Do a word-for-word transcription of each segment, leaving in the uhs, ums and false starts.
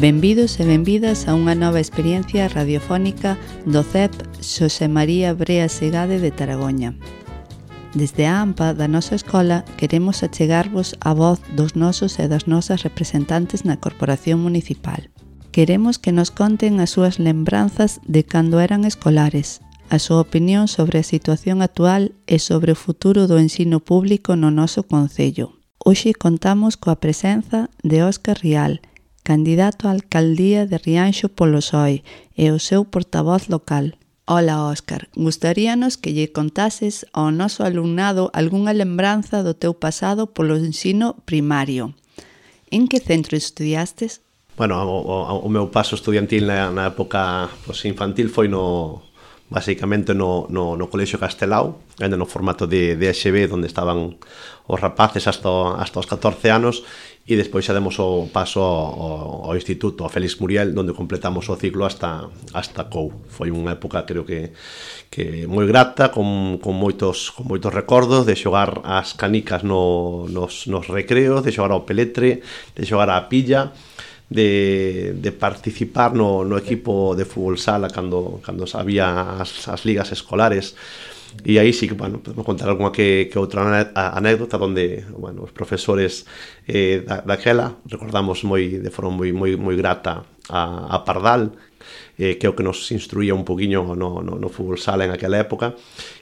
Benvidos e benvidas a unha nova experiencia radiofónica do C E P Xosé María Brea Segade de Taragoña. Desde a AMPA da nosa escola queremos achegarvos a voz dos nosos e das nosas representantes na Corporación Municipal. Queremos que nos conten as súas lembranzas de cando eran escolares, a súa opinión sobre a situación actual e sobre o futuro do ensino público no noso concello. Hoxe contamos coa presenza de Óscar Rial, candidato á alcaldía de Rianxo polo P S O E e o seu portavoz local. Ola, Óscar, gustaríanos que lle contases ao noso alumnado algunha lembranza do teu pasado polo ensino primario. En que centro estudiastes? Bueno, o, o, o meu paso estudiantil na, na época pues, infantil foi no basicamente no, no, no Colexio Castelao, ainda no formato de, de E X B, onde estaban os rapaces hasta, hasta os catorce anos, e despois xa demos o paso ao, ao Instituto, ao Félix Muriel, onde completamos o ciclo hasta, hasta C O U. Foi unha época, creo que, que moi grata, con, con, moitos, con moitos recordos de xogar as canicas no, nos, nos recreos, de xogar ao peletre, de xogar á pilla, de, de participar no, no equipo de fútbol sala cando, cando había as, as ligas escolares. E aí sí que, bueno, podemos contar alguna que, que outra anécdota onde, bueno, os profesores eh, da, daquela recordamos moi, de forma moi, moi, moi grata a, a Pardal, eh, que é o que nos instruía un poquinho no, no, no fútbol sala en aquela época,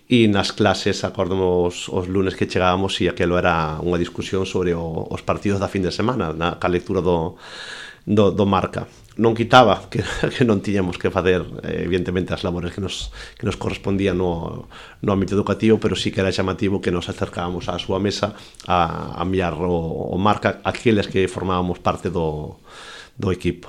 e nas clases acordamos os lunes que chegábamos e aquelo era unha discusión sobre o, os partidos da fin de semana, na ca lectura do, do, do Marca. Non quitaba que, que non tiñamos que facer eh, evidentemente as labores que nos, que nos correspondían no, no ámbito educativo, pero sí que era chamativo que nos acercábamos á súa mesa a, a mirar o, o Marca aqueles que formábamos parte do, do equipo.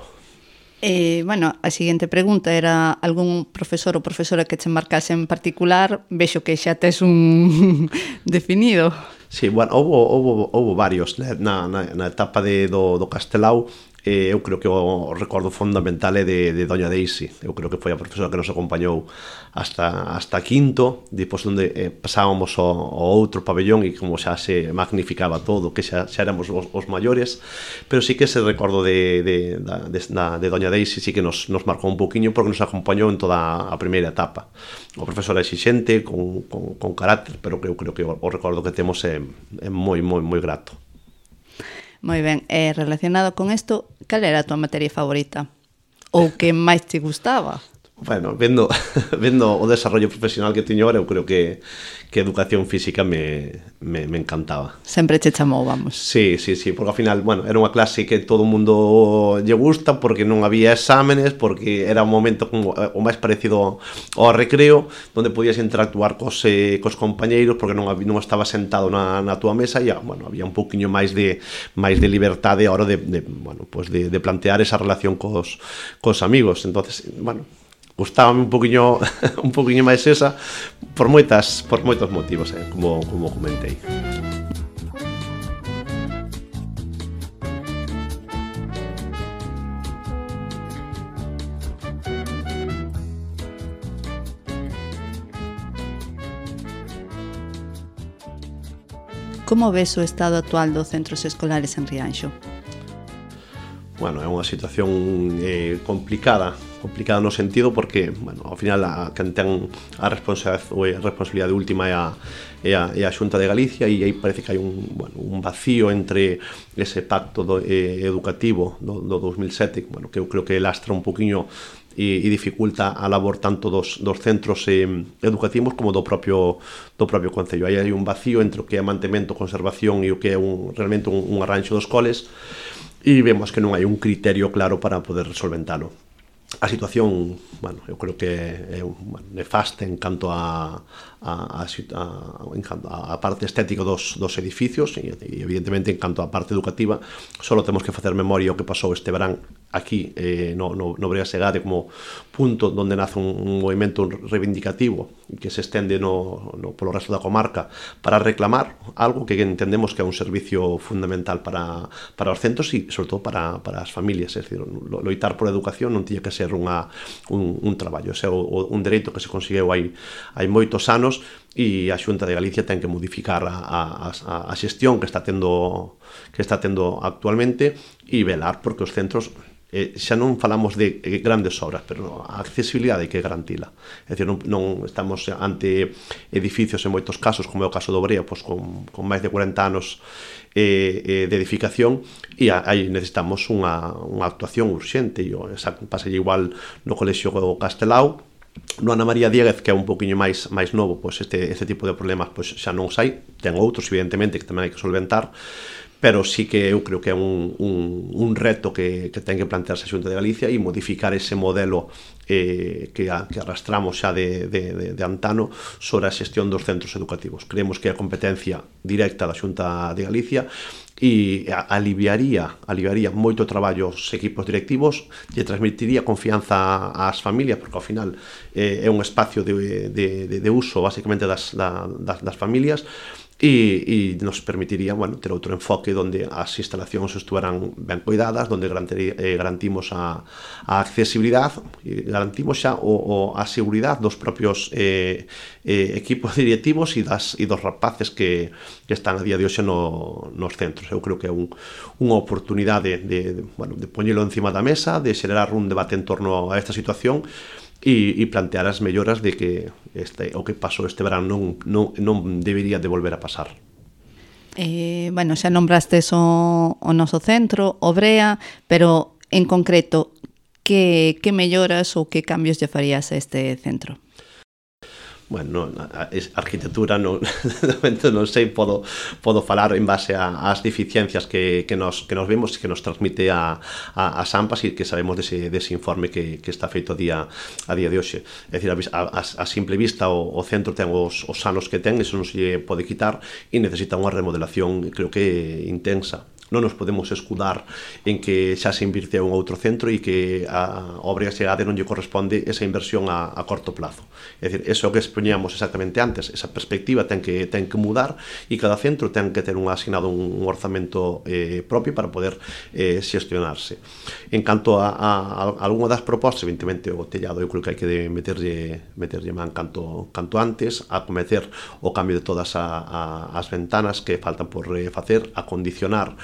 Eh, bueno, a seguinte pregunta era algún profesor ou profesora que che marcase en particular. Vexo que xa tes un definido. Sí, bueno, houve, houve, houve varios na, na, na etapa de, do, do Castelao. Eh, eu creo que o recordo fundamental é de, de Doña Daisy. Eu creo que foi a profesora que nos acompañou hasta, hasta quinto, depois onde eh, pasábamos ao, ao outro pabellón e como xa se magnificaba todo, que xa, xa éramos os, os maiores, pero sí que ese recordo de, de, de, de, de Doña Daisy sí que nos, nos marcou un poquinho porque nos acompañou en toda a primeira etapa. O profesor exixente, con, con, con carácter, pero que eu creo que o, o recordo que temos é, é moi, moi, moi grato. Moi ben, e relacionado con isto, cal era a tua materia favorita? Ou que máis te gustaba? Bueno, vendo, vendo o desarrollo profesional que teño ahora, eu creo que, que educación física me, me, me encantaba. Sempre che chamou, vamos. Sí, sí, sí, porque ao final, bueno, era unha clase que todo o mundo lle gusta, porque non había exámenes, porque era un momento como o máis parecido ao recreo, onde podías interactuar cos, eh, cos compañeiros, porque non, non estaba sentado na, na túa mesa, e, bueno, había un poquinho máis de máis de liberdade a hora de, de, bueno, pues de, de plantear esa relación cos, cos amigos. Entonces, bueno, gustábame un poquinho un poquinho máis esa por moitas por moitos motivos, eh, como como comentei. Como ves o estado actual dos centros escolares en Rianxo? Bueno, é unha situación eh, complicada complicada no sentido porque, bueno, ao final a quen ten a responsabilidade, a responsabilidade última é a, é a, é a Xunta de Galicia, e aí parece que hai un, bueno, un vacío entre ese pacto do, eh, educativo do, do dos mil sete, bueno, que eu creo que lastra un poquinho e, e dificulta a labor tanto dos, dos centros eh, educativos como do propio do propio concello. Aí hai un vacío entre o que é mantemento, conservación e o que é un, realmente un, un arranxo dos coles, e vemos que non hai un criterio claro para poder solventalo. A situación, bueno, eu creo que é bueno, nefasta en canto a, a, a, a, en canto a parte estética dos, dos edificios e, e evidentemente en canto a parte educativa só temos que facer memoria o que pasou este verán aquí eh, no, no, no Brea Segade como punto onde nace un, un movimento reivindicativo que se estende no, no, polo resto da comarca para reclamar algo que entendemos que é un servicio fundamental para, para os centros e sobre todo para, para as familias, é dicir, loitar por educación non tiña que ser unha, un, un traballo, é un dereito que se conseguiu hai, hai moitos anos e a Xunta de Galicia ten que modificar a, a, a xestión que está tendo que está tendo actualmente e velar porque os centros eh, xa non falamos de grandes obras, pero a accesibilidade hai que garantila. É dicir, non, non estamos ante edificios en moitos casos, como é o caso do Brea, pois con, con máis de corenta anos eh, eh, de edificación, e aí necesitamos unha, unha actuación urxente, e pasa igual no Colexio Castelao. No Ana María Dieguez, que é un poquinho máis máis novo, pois este, este tipo de problemas pois xa non os hai, ten outros evidentemente que tamén hai que solventar, pero sí que eu creo que é un, un, un reto que, que ten que plantearse a Xunta de Galicia e modificar ese modelo eh, que, a, que arrastramos xa de, de, de, de antano sobre a xestión dos centros educativos. Creemos que é a competencia directa da Xunta de Galicia e aliviaría, aliviaría moito traballo aos equipos directivos e transmitiría confianza ás familias, porque ao final eh, é un espacio de, de, de, de uso basicamente das, da, das, das familias, e, e nos permitiría, bueno, ter outro enfoque onde as instalacións estuveran ben cuidadas, onde eh, garantimos a, a accesibilidade e garantimos xa o, o, a seguridade dos propios eh, eh, equipos directivos e, das, e dos rapaces que, que están a día de hoxe no, nos centros. Eu creo que é un, unha oportunidade de, de, bueno, de poñelo encima da mesa, de xerar un debate en torno a esta situación e, e plantear as melloras de que este, o que pasou este verán non, non, non debería de volver a pasar. Eh, bueno, xa nombrastes o, o noso centro, o Brea, pero en concreto, que, que melloras ou que cambios lle farías a este centro? Bueno, a, a arquitectura non, non sei, podo, podo falar en base ás deficiencias que, que, nos, que nos vemos e que nos transmite a, a, a SAMPAS e que sabemos dese, dese informe que, que está feito a día, a día de hoxe. É dicir, a, a, a simple vista o, o centro ten os, os anos que ten, eso non se pode quitar e necesita unha remodelación, creo que intensa. Non nos podemos escudar en que xa se invirteu en outro centro e que a obra e a non lle corresponde esa inversión a, a corto plazo. É dicir, eso que expoñíamos exactamente antes, esa perspectiva ten que, ten que mudar e cada centro ten que ter un asignado un, un orzamento eh, propio para poder eh, xestionarse. En canto a, a, a algunha das propostas, evidentemente o tellado eu creo que hai que meterlle, meterlle man canto, canto antes, a cometer o cambio de todas a, a, as ventanas que faltan por eh, facer, a condicionar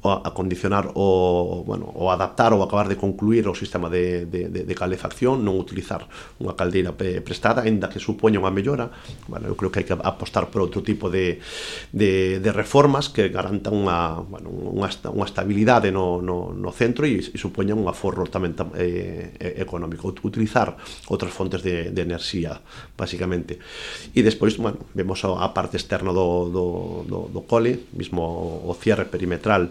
a condicionar o, bueno, o adaptar ou acabar de concluir o sistema de, de, de, de calefacción, non utilizar unha caldeira prestada, ainda que supoña unha mellora. Bueno, eu creo que hai que apostar por outro tipo de, de, de reformas que garantan unha, bueno, unha, unha estabilidade no, no, no centro e, e supoñan un aforro tamén eh, económico. Utilizar outras fontes de, de enerxía, basicamente. E despois, bueno, vemos a, a parte externa do, do, do, do cole, mismo o cierre perimetral.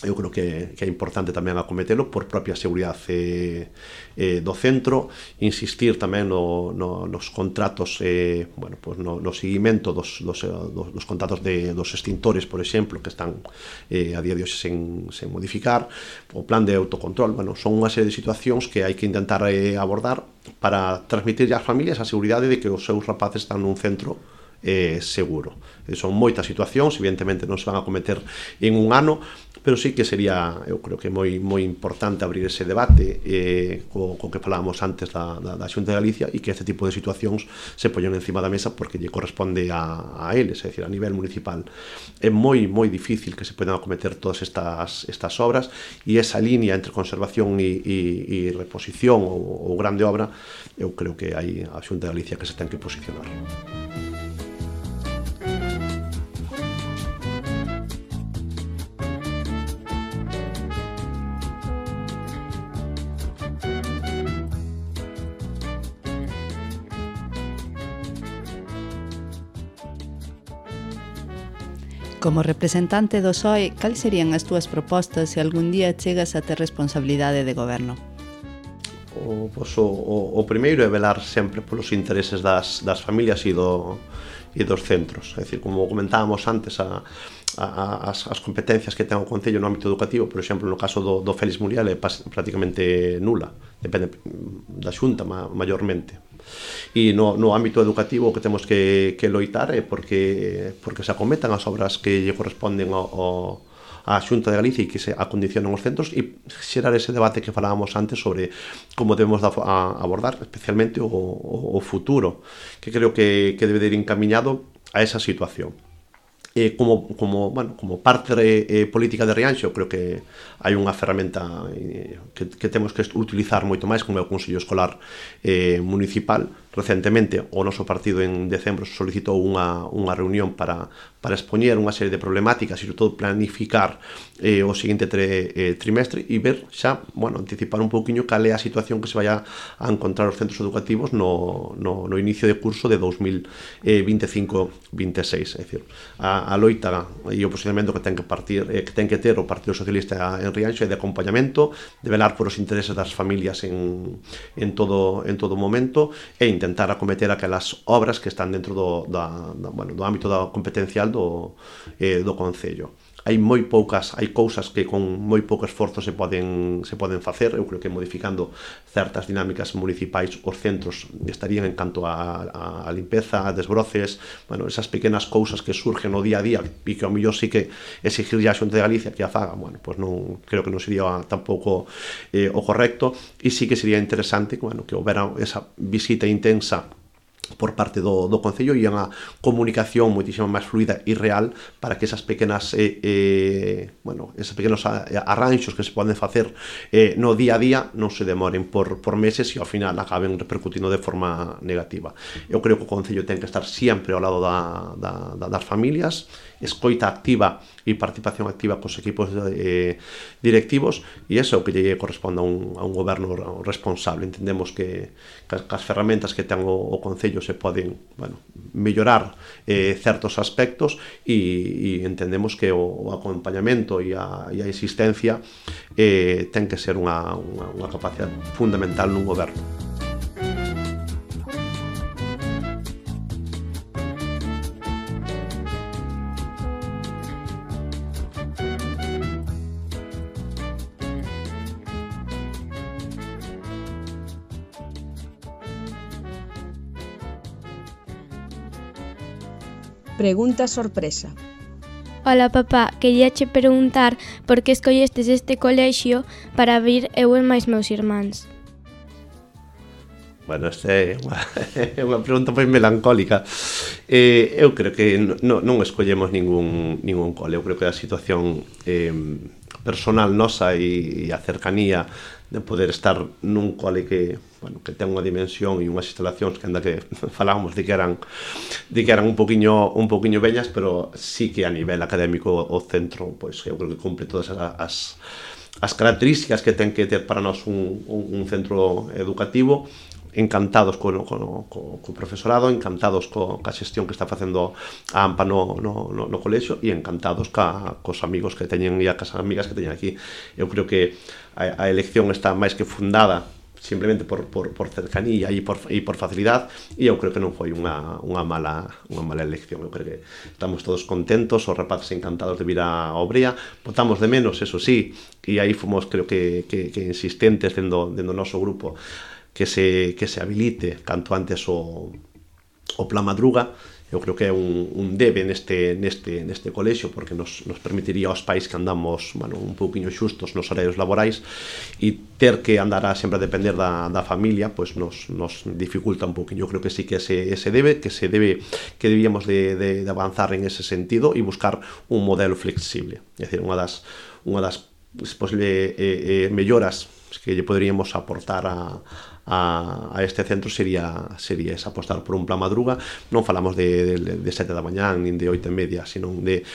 Eu creo que, que é importante tamén acometelo por propia seguridade eh, do centro, insistir tamén no, no, nos contratos, eh, bueno, pues no, no seguimento dos, dos, dos, dos contratos de, dos extintores, por exemplo, que están eh, a día de hoxe sen, sen modificar, o plan de autocontrol. Bueno, son unha serie de situacións que hai que intentar eh, abordar para transmitir ás familias a seguridade de que os seus rapaces están nun centro eh, seguro. Son moitas situacións, evidentemente non se van a cometer en un ano, pero sí que sería, eu creo que moi moi importante abrir ese debate eh, co, co que falábamos antes da, da, da Xunta de Galicia e que este tipo de situacións se poñen encima da mesa porque lle corresponde a, a eles, é dicir, a nivel municipal. É moi moi difícil que se podan acometer todas estas, estas obras e esa línea entre conservación e, e, e reposición ou, ou grande obra, eu creo que hai a Xunta de Galicia que se ten que posicionar. Como representante do P S O E, cal serían as túas propostas se algún día chegas a ter responsabilidade de goberno? O, pues, o, o primeiro é velar sempre polos intereses das, das familias e, do, e dos centros. É dicir, como comentábamos antes, a, a, as, as competencias que ten o Concello no ámbito educativo, por exemplo, no caso do, do Félix Muriel, é prácticamente nula, depende da Xunta ma, maiormente. E no, no ámbito educativo o que temos que, que loitar é porque, porque se acometan as obras que lle corresponden ao, ao a Xunta de Galicia e que se acondicionan os centros e xerar ese debate que falábamos antes sobre como debemos da, a, abordar especialmente o, o, o futuro, que creo que, que debe de ir encamiñado a esa situación. Eh, como, como, bueno, como parte eh, política de Rianxo, creo que hai unha ferramenta eh, que, que temos que utilizar moito máis, como é o Consello Escolar eh, Municipal. Recentemente, o noso partido en decembro solicitou unha, unha reunión para, para expoñer unha serie de problemáticas e, sobre todo, planificar eh, o seguinte tre, eh, trimestre e ver xa, bueno, anticipar un pouquiño cal é a situación que se vai a, a encontrar os centros educativos no, no, no inicio de curso de dous mil vinte e cinco vinte e seis. É dicir, a, a loita e o posicionamento que ten que partir eh, que ten que ter o Partido Socialista en Rianxo é de acompañamento, de velar por os intereses das familias en, en todo en todo momento e intentar acometer aquelas obras que están dentro do, da, da, bueno, do ámbito da competencial do, eh, do Concello. Hai moi poucas, hai cousas que con moi pouco esforzo se poden se poden facer. Eu creo que modificando certas dinámicas municipais os centros estarían en canto a, a, a limpeza, a desbroces, bueno, esas pequenas cousas que surgen no día a día e que ao mellor sí que exigir a Xunta de Galicia que a faga, bueno, pues non, creo que non sería tampouco eh, o correcto, e sí que sería interesante, bueno, que houbera esa visita intensa por parte do, do Concello e unha comunicación moitísimo máis fluida e real para que esas pequenas eh, eh, bueno, esos pequenos arranxos que se poden facer eh, no día a día non se demoren por, por meses e ao final acaben repercutindo de forma negativa. Eu creo que o Concello ten que estar sempre ao lado da, da, da, das familias, escoita activa e participación activa cos equipos eh, directivos, e iso é o que lle corresponde a un, a un goberno responsable. Entendemos que, que as ferramentas que ten o, o Concello se poden, bueno, mellorar eh, certos aspectos e, e entendemos que o, o acompañamento e a, e a existencia eh, ten que ser unha, unha, unha capacidade fundamental nun goberno. Pregunta sorpresa. Ola, papá, quería che preguntar por que escollestes este colexio para vir eu e máis meus irmáns. Bueno, esta é unha, é unha pregunta moi melancólica. Eh, eu creo que non, non escollemos ningún, ningún cole. Eu creo que a situación eh, personal nosa e, e a cercanía de poder estar nun cole que, bueno, que ten unha dimensión e unhas instalacións que anda que falábamos de que eran de que eran un poquiño un poquiño vellas, pero sí que a nivel académico o centro, pois eu creo que cumple todas as as características que ten que ter para nós un, un, un centro educativo. Encantados co, co, co, co profesorado, encantados co, ca xestión que está facendo a AMPA no, no, no, no colexio e encantados ca, cos amigos que teñen e as amigas que teñen aquí. Eu creo que a, a elección está máis que fundada simplemente por, por, por cercanía e por, e por facilidade, e eu creo que non foi unha, unha, mala, unha mala elección. Eu creo que estamos todos contentos, os rapaces encantados de vir a Obrea, botamos de menos, eso sí, e aí fomos, creo que, que, que insistentes dentro do noso grupo, que se, que se habilite canto antes o, o Plan Madruga. Eu creo que é un, un debe neste, neste, neste colexio, porque nos, nos permitiría aos pais que andamos, bueno, un pouquiño xustos nos horarios laborais, e ter que andar a sempre a depender da, da familia, pois nos, nos dificulta un pouquiño. Eu creo que sí que ese, ese debe, que se debe, que debíamos de, de, de avanzar en ese sentido e buscar un modelo flexible. É dicir, unha das, unha das posible eh, eh, melloras que lle poderíamos aportar a A, a este centro sería sería esa, apostar por un Plan Madruga. Non falamos de, de, de sete da mañán nin de oito e media, sino de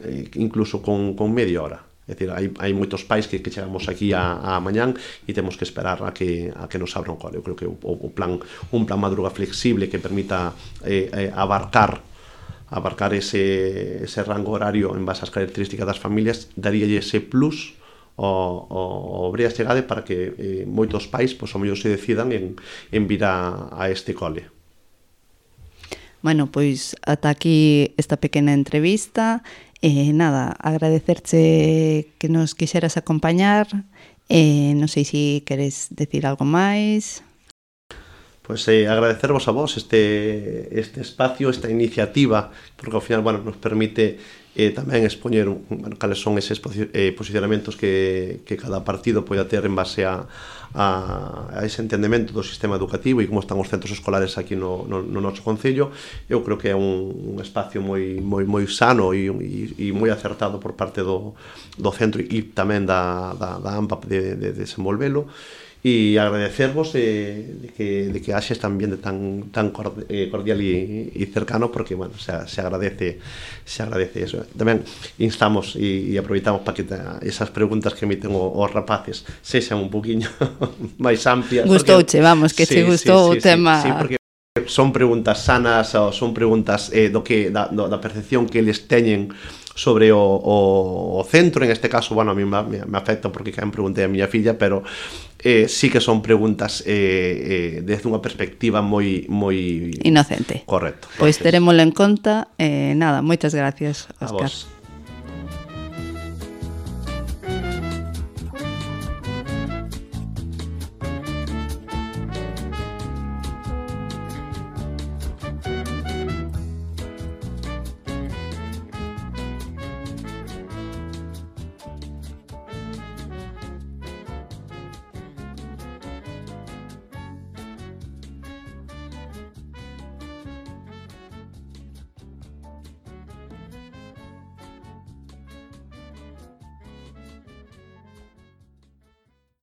eh, incluso con, con media hora. É dicir, hai, hai moitos pais que, que chegamos aquí a, a mañán e temos que esperar a que, a que nos abra un cole. Eu creo que o, o plan, un Plan Madruga flexible que permita eh, eh, abarcar abarcar ese, ese rango horario en base ás características das familias, daríalle ese plus o, o, o Brea Segade para que eh, moitos pais, pois, ao mellor se decidan en, en vir a, a este cole. Bueno, pois ata aquí esta pequena entrevista. Eh, nada, agradecerche que nos quixeras acompañar. Eh, non sei se queres decir algo máis. Pois eh, agradecervos a vos este, este espacio, esta iniciativa, porque ao final, bueno, nos permite e tamén expoñer bueno, cales son eses eh, posicionamentos que, que cada partido poida ter en base a, a, a ese entendemento do sistema educativo e como están os centros escolares aquí no, no, no noso concello. Eu creo que é un, un espacio moi, moi, moi sano e, e, e moi acertado por parte do, do centro e tamén da, da, da AMPA de, de desenvolvelo. E agradecervos eh, de que, de que haxe este ambiente tan, tan cordial e, e cercano, porque, bueno, se, se agradece se agradece eso. Tamén instamos e, e aproveitamos para que ta, esas preguntas que emiten os rapaces sexan un poquinho máis amplias. Gustouche, vamos, que sí, che gustou sí, sí, o tema. Sí, sí, porque son preguntas sanas, ou son preguntas eh, do que, da, do, da percepción que eles teñen sobre o, o, o centro. En este caso, bueno, a mí me, me afecta porque que me preguntei a miña filla, pero eh, sí que son preguntas eh, eh, desde unha perspectiva moi moi inocente. Correcto. Pois terémoslo en conta. Eh, nada, moitas gracias, Óscar.